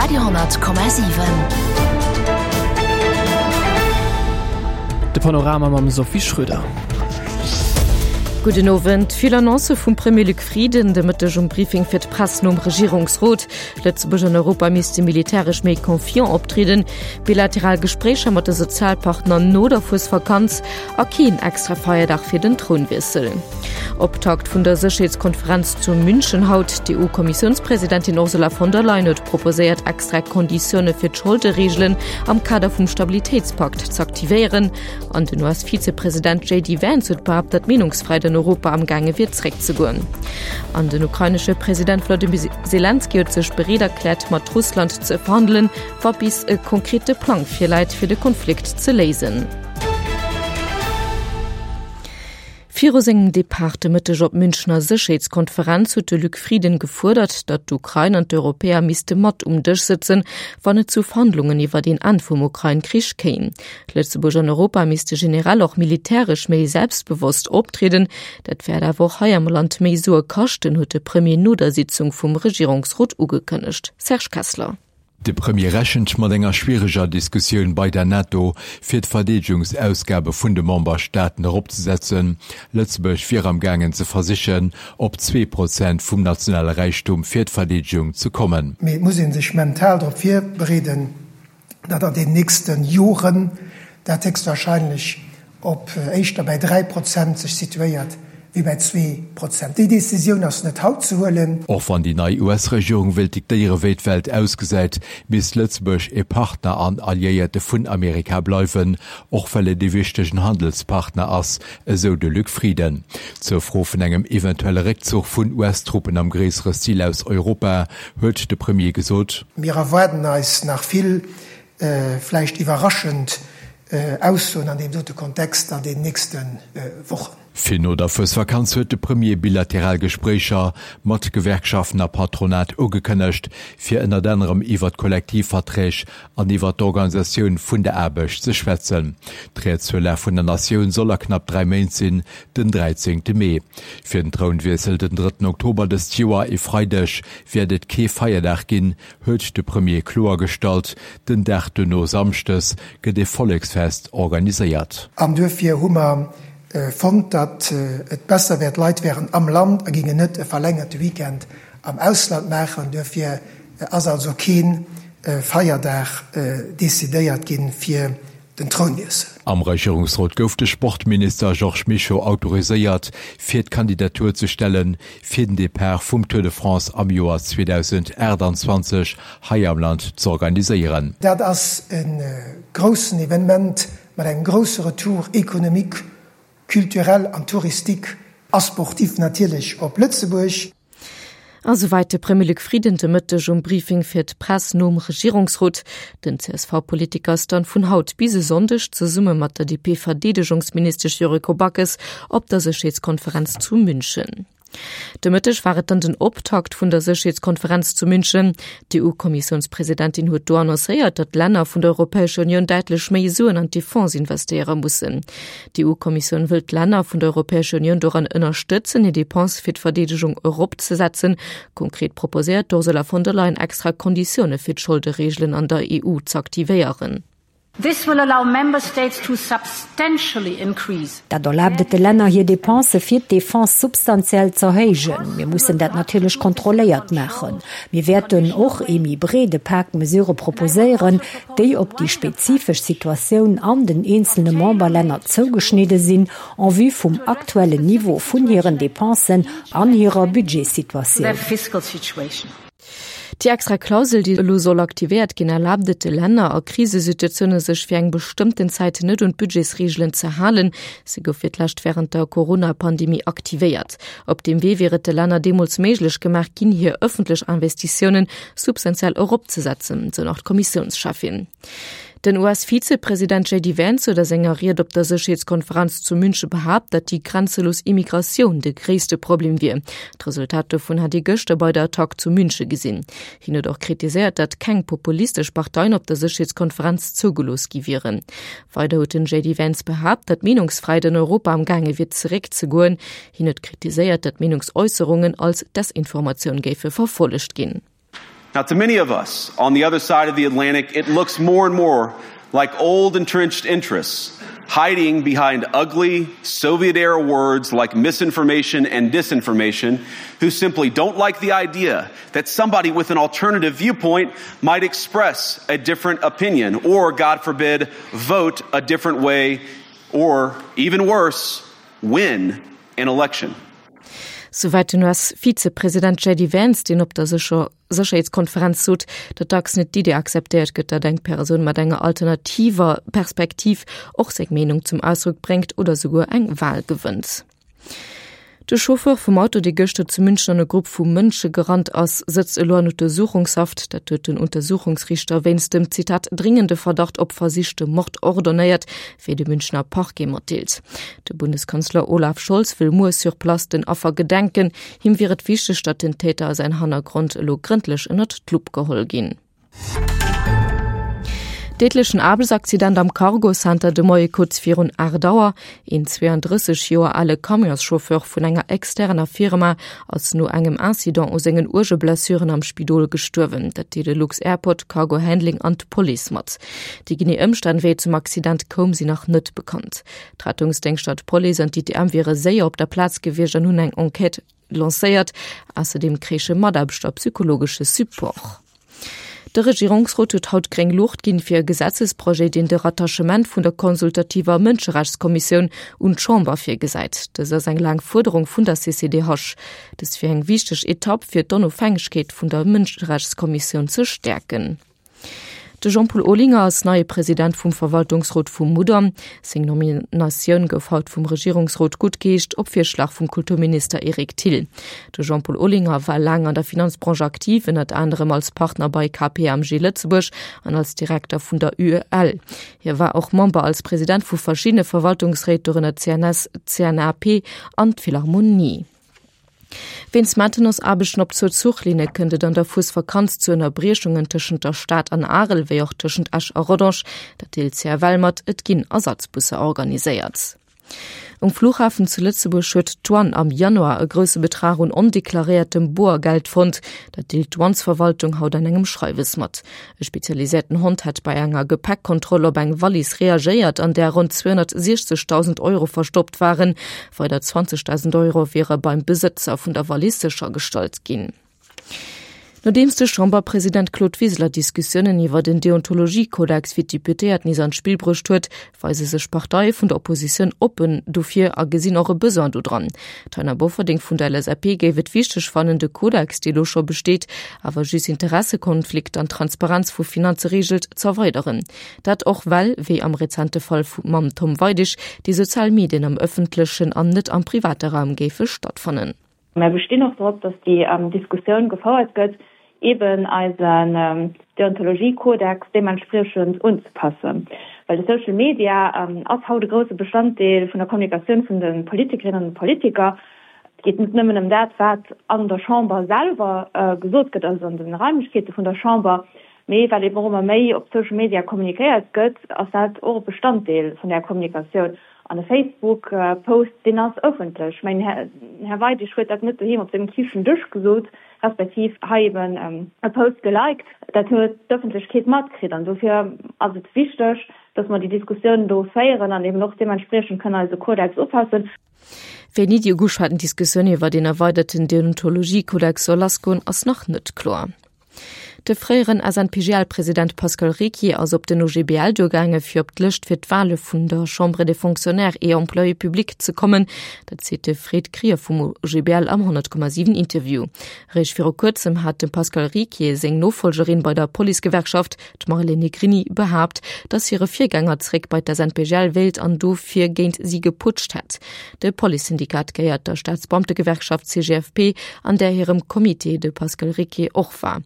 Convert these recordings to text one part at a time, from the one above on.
Radio,7. De Panorama mam Sophie Schröder. Gudden Owend. Vill Annoncë vum Premier Luc Frieden de Mëtteg um Briefing fir d'Press nom Regierungsrot. Lëtzebuerg an Europa misste militäresch méi confiant optrieden, bilateral Gespréicher mat de Sozialpartner no der Fuesvakanz a keen extra Feierdag fir den Trounwiessel. Optakt vun der Sécherheetskonferenz zu München haut. D'EU-Kommissiounspresidentin Ursula von der Leyen huet proposéiert, extra Konditioune fir d'Scholdereegelen am Kader vum Stabilitéitspakt z'aktivéieren. An den US-Vizepresident JD Vance huet behaapt, datt d'Meenungsfräiheet an Europa am gaange wier zeréckzegoen. An den ukrainesche President Wladimir Selenskyj huet sech bereet erkläert, mat Russland ze verhandelen, wa bis e konkrete Plang virläit, fir de Konflikt ze léisen. Viru sengem Depart de Mëtteg op d'Münchener Sécherheetskonferenz huet de Luc Frieden gefuerdert, datt d'Ukrain an d'Europäer misste mat um Dësch sëtzen, wann et zu Verhandlungen iwwert een Enn vum Ukrain-Krich kéim. Lëtzebuerg an Europa misste generell och militäresch méi selbstbewosst optrieden. Dat wäert awer och hei am Land méi Sue kaschten, huet de Premier no der Sitzung vum Regierungsrot ugekënnegt. Serge Kessler. De Premier rechent mat enger schwiereger Diskussioun bei der NATO, fir d'Verdeedegungsausgabe vun de Memberstaaten eropzesetzen. Lëtzebuerg wier am gaangen ze versichen, op 2% vum nationale Räichtum fir d'Verdeedegung ze kommen. Mee et muss ee sech mental drop virbereeden, datt an den nächste Joren dat héchstwahrscheinlech op éischter bäi 3 Prozent sech situéiert wéi bäi 2 Prozent. Déi Décisioun ass net haut ze huelen. Och wann déi nei US-Regierung wéilt diktéiere wéi d'Welt ausgesäit, misst Lëtzebuerg e Partner an Alliéierte vun Amerika bleiwen, och well et ee wichtegen Handelspartner ass, esou de Luc Frieden. Zur Fro vun engem eventuelle Réckzuch vun US-Truppen am gréissere Stil aus Europa huet de Premier gesot. Mir erwaarden eis nach vill vläicht iwwerraschend Aussoen an deem dote Kontext an den nächste Wochen. Fir no der Fuesvakanz huet de Premier bilateral Gespréicher mat Gewerkschaften a Patronat ugekënnegt, fir ënnert anerem iwwer d'Kollektivverträg an iwwer d'Organisatioun vun der Aarbecht ze schwätzen. D'Ried zur Lag vun der Natioun soll a knapp 3 Méint sinn, den 13 Mee. Fir den Trounwiessel den drëtten Oktober dëst Joer, e Freideg, wäert et kee Feierdag ginn, huet de Premier kloergestallt. Den Dag duerno, Samschdes, gëtt e Volleksfest organiséiert. An duerfir hu mer fonnt, datt et besser wär, d'Leit wären am Land a géingen net e verlängerte Weekend am Ausland maachen. Duerfir ass also kee Feierdag decidéiert gi fir den Trounwiessel. Am Regierungsrot gouf de Sportminister Georges Mischo autoriséiert, fir d'Kandidatur ze stellen, fir den Depart vum Tour de France am Joer 2028 hei am Land z'organiséieren. Dat ass e groussen Evenement mat engem grousse Retour économique, culturel an touristique a sportif natierlech op Lëtzebuerg. A souwäit de Premier Luc Frieden de Mëtteg um Briefing fir d'Press nom Regierungsrot. Den CSV-Politiker ass dann vun haut bis e Sonndeg zesumme mat der DP-Verdeedegungsministesch Yuriko Backes op der Sécherheetskonferenz zu München. De Mëtteg war et dann den Optakt vun der Sécherheetskonferenz zu München. D'EU-Kommissiounspresidentin huet do annoncéiert, datt d'Länner vun der Europäescher Unioun däitlech méi Suen an d'Defense investéiere mussen. D'EU-Kommissioun wëll d'Länner vun der Europäescher Unioun doran ënnerstëtzen, hir Depensë fir d'Verdeedegung eropzesetzen. Konkret proposéiert d'Ursula von der Leyen extra Konditioune fir d'Scholdereegelen an der EU z'aktivéieren. This will allow Member States to substantially increase. Dat erlaabt et de Länner, hir Depensë fir d'Defense substantiell z'erhéijen. Mir mussen dat natierlech kontrolléiert maachen. Mir wäerten och ee méi breede Pak Mesurë proposéieren, déi op déi spezifesch Situatioun an den eenzelne Memberlänner zougeschnidde sinn, en vue vum aktuellen Niveau vun hiren Dépensen an hirer Budgetsituatioun. Déi extra Klausel, déi elo soll aktivéiert ginn, erlaabt et de Länner a Krisesituatioune sech fir eng bestëmmten Zäit net un d'Budgetsreegelen ze halen. Se gouf fir d'lescht wärend der Corona-Pandemie aktivéiert. Op deem Wee wier et de Länner deemools méiglech gemaach ginn, hir ëffentlech Investitiounen substantiell eropzesetzen, sou nach d'Kommissiounscheffin. Den US-Vizepresident JD Vance huet a senger Ried op der Sécherheetskonferenz zu Münche behaapt, datt déi grenzelos Immigratioun de gréisste Problem wier. D'Resultat dovun hätt ee gëschter bei der Attack zu Münche gesinn. Hien huet och kritiséiert, datt keng populistesch Parteien op der Sécherheetskonferenz zougelooss gi wieren. Weider huet den JD Vance behaapt, datt d'Meenungsfräiheet an Europa am gaange wier zeréckzegoen. Hien huet kritiséiert, datt Meenungsäusserungen als Desinformatioun géife verfollegt ginn. Now, to many of us on the other side of the Atlantic, it looks more and more like old entrenched interests hiding behind ugly Soviet era words like misinformation and disinformation who simply don't like the idea that somebody with an alternative viewpoint might express a different opinion or, God forbid, vote a different way or, even worse, win an election. Souwäit den US-Vizepresident JD Vance, deen op der Sécherheetskonferenz sot, datt dacks net d'Idee akzeptéiert gëtt, datt eng Persoun mat enger alternativer Perspektiv och seng Meenung zum Ausdrock bréngt oder souguer eng Wal gewënnt. De Chauffeur vum Auto, dee gëschter zu München an e Grupp vu Mënsche gerannt ass, sëtzt elo an Untersuchungshaft. Dat huet den Untersuchungsriichter wéinst dem, Zitat, dringende Verdacht op versichte Mord ordonnéiert, wéi de Münchener Parquet matdeelt. De Bundeskanzler Olaf Scholz wëll muer sur place den Affer gedenken. Him wier et wichteg, datt den Täter a säin Hannergrond elo grëndlech ënnert d'Lupp geholl ginn. Déidlechen Aarbechtsaccident am Cargo-Center de Moie kuerz virun 8 Auer. Een 32 Joer ale Camionschauffeur vun enger externer Firma ass no engem Incident u sengen uerge Blessuren am Spidol gestuerwen. Dat deele Lux-Airport, Cargo Handling an d'Police mat. Déi genee Ëmstänn, wéi et zum Accident koum, sinn nach net bekannt. D'Rettungsdéngschter, d'Police an d'ITM wiere séier op der Plaz gewiescht an hunn eng Enquête lancéiert. Ausserdeem kréiche Mataarbechter psychologesche Support. De Regierungsrot huet haut gréng Luucht ginn fir e Gesetzesprojet, deen de Rattachement vun der consultativer Mënscherechtskommissioun un d'Chamber virgesäit. Dëst ass eng laang Fuerderung vun der CCDH. Dëst wier eng wichteg Etapp, fir d'Onofhängegkeet vun der Mënscherechtskommissioun ze stäerken. De Jean-Paul Olinger ass neie President vum Verwaltungsrot vum Mudam. Seng Nominatioun gouf haut vum Regierungsrot guttgeheescht, op Virschlag vum Kulturminister Eric Thill. De Jean-Paul Olinger war laang an der Finanzbranche aktiv, ënnert anerem als Partner bei KPMG Lëtzebuerg an als Direkter vun der UEL. Hie war och Member als President vu verschiddene Verwaltungsréit, dorënner CNS, CNAP an d'Philharmonie. Wéinst Maintenance-Aarbechten op zwou Zuchlinne kënnt et an der Fuesvakanz zu Ënnerbriechungen tëschent der Stad an Arel, wéi och tëschent Esch a Rodange. Dat deelt CFL mat. Et ginn Ersatzbusser organiséiert. Um Flughafen zu Lëtzebuerg huet d'Douane am Januar e grousse Betrag un ondeklaréiertem Boergeld fonnt. Dat deelt d'Douanesverwaltung haut an engem Schreiwes mat. E spezialiséierten Hond hätt bei enger Gepäckkontroll op eng Wallis reagéiert, an där ronn 260.000 Euro verstoppt waren. Weider 20.000 Euro wiere beim Besëtzer vun der Wallis séchergestallt ginn. Nodeems de Chamberpresident Claude Wiseler Diskussiounen iwwer den Deontologiekodex fir d'Deputéiert nees an d'Spill bruecht huet, weise sech Parteie vun der Oppositioun oppen dofir a gesinn och e Besoin dodran. D'Taina Bofferding vun der LSAP géif et wichteg fannen, de Kodex, dee lo scho besteet, awer just Interessekonflikt an d'Transparenz vu Finanze reegelt, z'erweideren. Dat och well, wéi am rezente Fall vu mam Tom Weidig, déi sozial Medien am ëffentlechen an net am private Raum géife stattfannen. Mär bestinn och drop, datt déi Diskussioun gefouert gëtt, eben eisen Deontologiekodex deementspriechend unzepassen. Well de Social Media ass haut e grousse Bestanddeel vun der Kommunikatioun vun de Politikerinnen an de Politiker. Et geet net nëmmen ëm dat, wat an der Chamber selwer gesot gëtt, also an de Raimlechkeete vun der Chamber, mee well eben och ëmmer méi op Social Media kommunikéiert gëtt, ass dat och e Bestanddeel vun där Kommunikatioun. An e Facebook-Post, deen ass ëffentlech. Ech mengen, den Här Weidig huet dat net doheem op sengem Kichendësch gesot, respektiv hei eben e Post geliked. Dat huet d'Ëffentlechkeet matkritt. An dofir ass et wichteg, dass mer déi Diskussioun do féieren an eben och deementspriechend kënnen eise Kodex upassen. Wéini déi ugeschwaten Diskussioun iwwer een erweiderten Deontologiekodex soll lassgoen, ass nach net kloer. De fréieren SNPGL-President Pascal Ricquier ass op den OGBL duergaange fir op d'Lëscht fir d'Wale vun der Chambre des Fonctionnaires et Employés publics ze kommen. Dat seet de Fred Krier vum OGBL am 100,7 Interview. Eréischt viru kuerzem hat dem Pascal Ricquier seng Nofollgerin bei der Policegewerkschaft, D'Marlène Negrini behaapt, datt hire Virgänger zeréck bei d'SNPGL wéilt an dofir géint si geputscht hätt. De Policesyndikat gehéiert der Staatsbeamtegewerkschaft CGFP, an där hirem Comité de Pascal Ricquier och war.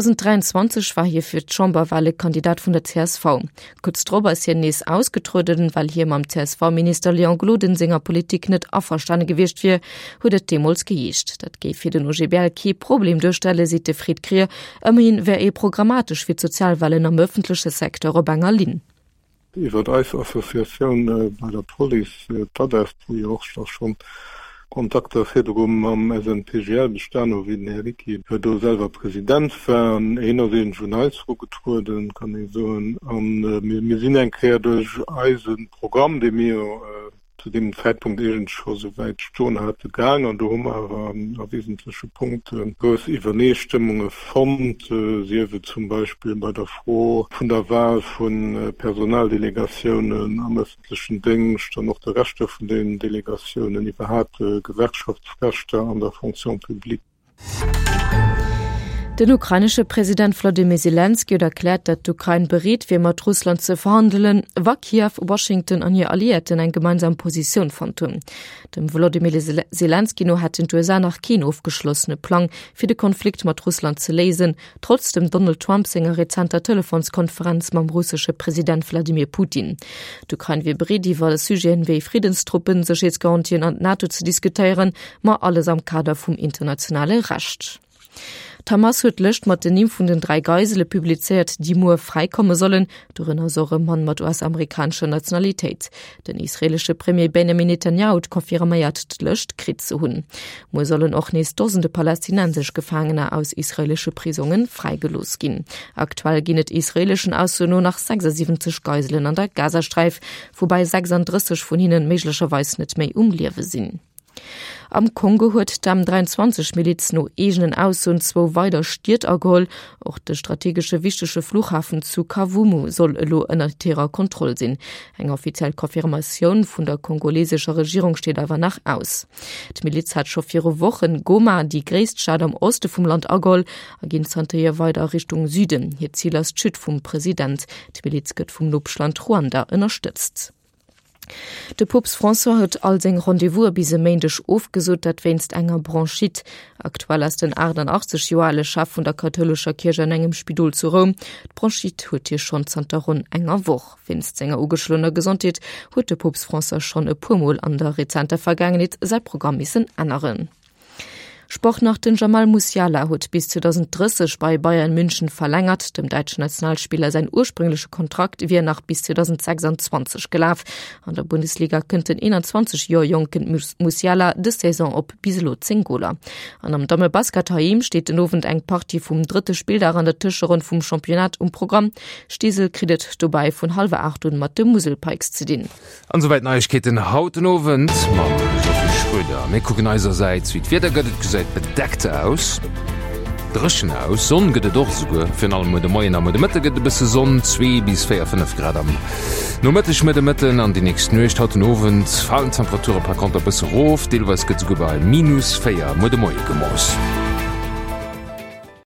2023 war hie fir d'Chamberwale Kandidat vun der csv. Kuerz drop ass hien nees ausgetrueden, well hie mam CSV-Minister Léon Gloden senger Politik net averstane gewiescht wier, huet et deemools geheescht. Dat géif fir den OGBL kee Problem duerstellen, seet de Fred Krier. Ëmmerhin wär ee programmatesch fir d'Sozialwahlen am ëffentleche Secteur op enger Linn. Iwwer eis Associatioun bei der Police, d'ADESP, wou jo och da schonn. Kontakter virdru mam SNPGL bestan hu wéi den Här Ricki do selwer President war. An hien ass iergendwéi un eis erugetrueden, kann ee soen. A mir sinn eng Kéier duerch eise Programm, dee mir jo zu deemem Zäitpunkt iergendwéi scho souwäit stoen hate, gaang. An do hu mer awer a wesentleche Punkte grouss Iwwerneestëmmunge fonnt, sief et zum Beispill bei der Fro vun der Wahl vu Personaldelegatiounen am ëffentlechen Déngscht an och de Rechter vun den Delegatiounen, iwwerhaapt Gewerkschaftsrechter an der Fonction publique. Den ukrainesche President Wladimir Selenskyj huet erkläert, datt d'Ukrain bereet wier, mat Russland ze verhandelen, wa Kiew, Washington an hir Alliéierten eng gemeinsam Positioun fonnt hunn. Dem Wolodymyr Selenskyj no hätten d'USA nach keen ofgeschlossene Plang, fir de Konflikt mat Russland ze léisen, trotz dem Donald Trump senger rezenter Telefonskonferenz mam russesche President Wladimir Putin. D'Ukrain wier bereet, iwwer Sujeten wéi Friddenstruppen, Sécherheetsgarantien an d'NATO ze diskutéieren, ma alles am Kader vum internationale Recht. D'Hamas huet d'Lëscht mat den Nimm vun den 3 Geisele publizéiert, déi muer fräikomme sollen. Dorënner ass och e Mann mat US-amerikanescher Nationalitéit. Den israeelesche Premier Benjamin Netanyahu huet confirméiert, d'Lëscht kritt ze hunn. Muer sollen och nees Dosende palästinensesch Gefaangener aus israeelesche Prisonge fräigelooss ginn. Aktuell ginn et israeeleschen Aussoen no nach 76 Geiselen an der Gazasträif, woubäi 36 vun hinne méiglecherweis net méi um Liewe sinn. Am Kongo huet d'M23 Miliz no eegenen Aussoen zwou weider Stied ageholl. Och de strategesche wichtege Fluchhafen zu Kavumu soll elo ënnert hirer Kontroll sinn. Eng offiziell Confirmatioun vun der kongolesescher Regierung steet awer nach aus. D'Miliz hat scho viru Wochen Goma, déi gréisst Stad am Oste vum Land, ageholl a ginn zanterhier weider a Richtung Süden. Hiert Zil ass d'Chute vum President. D'Miliz gëtt vum Nopeschland Ruanda ënnerstëtzt. De Poopst François huet all seng Rendez-vouse bis e Méindeg ofgesot, dat wéinst enger Bronchite. Aktuell ass den 88 Joer ale Chef vun der kathoulescher Kierch an engem Spidol zu Roum. D'Bronchite huet hie schonn zanter ronn enger Woch. Wéinst senger ugeschloener Gesondheet huet de Poopst François schonn e puer Mol an der rezenter Vergaangenheet säi Programm missen änneren. Sport nach, Den Jamal Musiala huet bis 2030 bei Bayern München verlängert. Dem däitschen Nationalspiller säin ursprüngleche Kontrakt wier nach bis 2026 gelaf. An der Bundesliga kënnt den 21 Joer jonken Musiala dës Saison op bis elo 10 Goler. An am Dammebasket heiheem steet den Owend eng Partie vum drëtte Spilldag an der Tëscheronn vum Championnat um Programm. Steesel kritt et dobäi vun hallwer 8 un mat de Musel Pikes ze dinn. An souwäit d'Neiegkeeten haut den Owend mam Sophie Schröder. Mir kucken eisersäits wéi d'Wieder gëtt. Et gesäit bedeckt aus, dréchen aus, Sonn gëtt et och esouguer. Virun allem muer de Moien a muer de Mëtte gëtt et e bësse Sonn, 2 bis 4, 5 Grad am Nomëtteg, muer de Mëtten an déi nächst Nuecht. Haut den Owend falen d'Temperature par konter e bësse rof, deelweis gëtt esouguer bei minus 4 muer de Moie gemooss.